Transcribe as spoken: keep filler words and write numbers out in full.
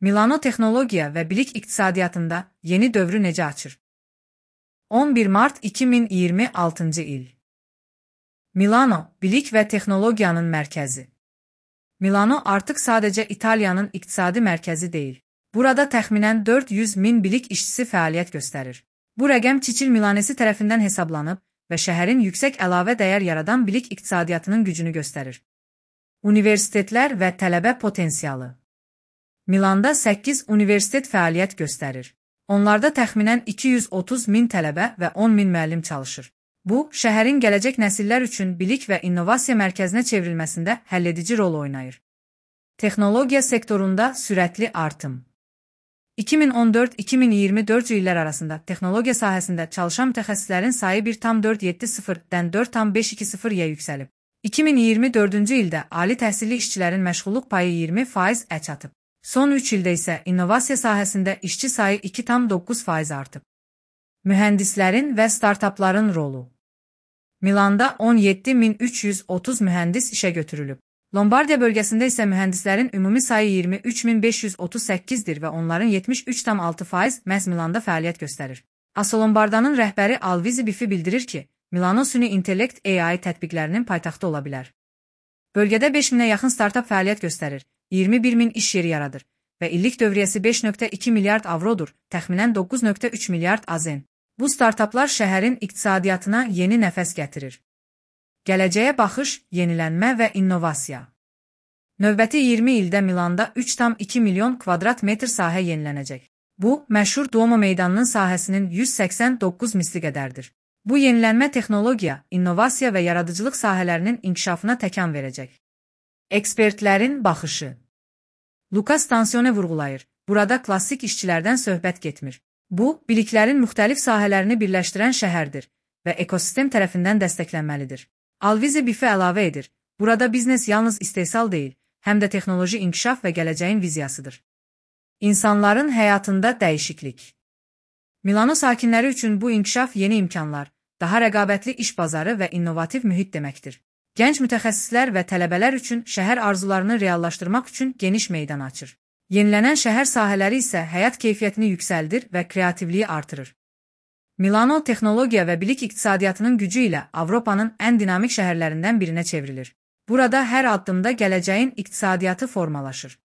Milano texnologiya və bilik iqtisadiyyatında yeni dövrü necə açır? on bir mart iki min iyirmi altıncı il. Milano, bilik və texnologiyanın mərkəzi. Milano artıq sadəcə İtaliyanın iqtisadi mərkəzi deyil. Burada təxminən dörd yüz min bilik işçisi fəaliyyət göstərir. Bu rəqəm Çiçil Milanesi tərəfindən hesablanıb və şəhərin yüksək əlavə dəyər yaradan bilik iqtisadiyyatının gücünü göstərir. Universitetlər və tələbə potensialı. Milanda səkkiz universitet fəaliyyət göstərir. Onlarda təxminən iki yüz otuz min tələbə və on min müəllim çalışır. Bu, şəhərin gələcək nəsillər üçün bilik və innovasiya mərkəzinə çevrilməsində həlledici rol oynayır. Texnologiya sektorunda sürətli artım. iki min on dörd iki min iyirmi dördüncü illər arasında texnologiya sahəsində çalışan mütəxəssislərin sayı bir tam dörd yeddi sıfırdan dörd tam beş iki sıfıra yüksəlib. iki min iyirmi dördüncü ildə ali təhsilli işçilərin məşğulluq payı iyirmi faiz çatıb. Son üç ildə isə innovasiya sahəsində işçi sayı iki tam doqquz faiz artıb. Mühəndislərin və startapların rolu. Milanda on yeddi min üç yüz otuz mühəndis işə götürülüb. Lombardiya bölgəsində isə mühəndislərin ümumi sayı iyirmi üç min beş yüz otuz səkkizdir və onların yetmiş üç tam altı faiz məhz Milanda fəaliyyət göstərir. Asolombardanın rəhbəri Alvise Biffi bildirir ki, Milano süni intellekt A I tətbiqlərinin paytaxtı ola bilər. Bölgədə beş minə yaxın startap fəaliyyət göstərir, iyirmi bir min iş yeri yaradır və illik dövriyyəsi beş nöqtə iki milyard avrodur, təxminən doqquz nöqtə üç milyard A Z N. Bu startaplar şəhərin iqtisadiyyatına yeni nəfəs gətirir. Gələcəyə baxış, yenilənmə və innovasiya. Növbəti iyirmi ildə Milanda üç tam iki milyon kvadrat metr sahə yenilənəcək. Bu, məşhur Duomo meydanının sahəsinin yüz səksən doqquz misli qədərdir. Bu yenilənmə texnologiya, innovasiya və yaradıcılıq sahələrinin inkişafına təkan verəcək. Ekspertlərin baxışı. Luka Stansione vurğulayır, burada klassik işçilərdən söhbət getmir. Bu, biliklərin müxtəlif sahələrini birləşdirən şəhərdir və ekosistem tərəfindən dəstəklənməlidir. Alvise Biffi əlavə edir, burada biznes yalnız istehsal deyil, həm də texnoloji inkişaf və gələcəyin viziyasıdır. İnsanların həyatında dəyişiklik. Milano sakinləri üçün bu inkişaf yeni imkanlar, daha rəqabətli iş bazarı və innovativ mühit deməkdir. Gənc mütəxəssislər və tələbələr üçün şəhər arzularını reallaşdırmaq üçün geniş meydan açır. Yenilənən şəhər sahələri isə həyat keyfiyyətini yüksəldir və kreativliyi artırır. Milano texnologiya və bilik iqtisadiyyatının gücü ilə Avropanın ən dinamik şəhərlərindən birinə çevrilir. Burada hər addımda gələcəyin iqtisadiyyatı formalaşır.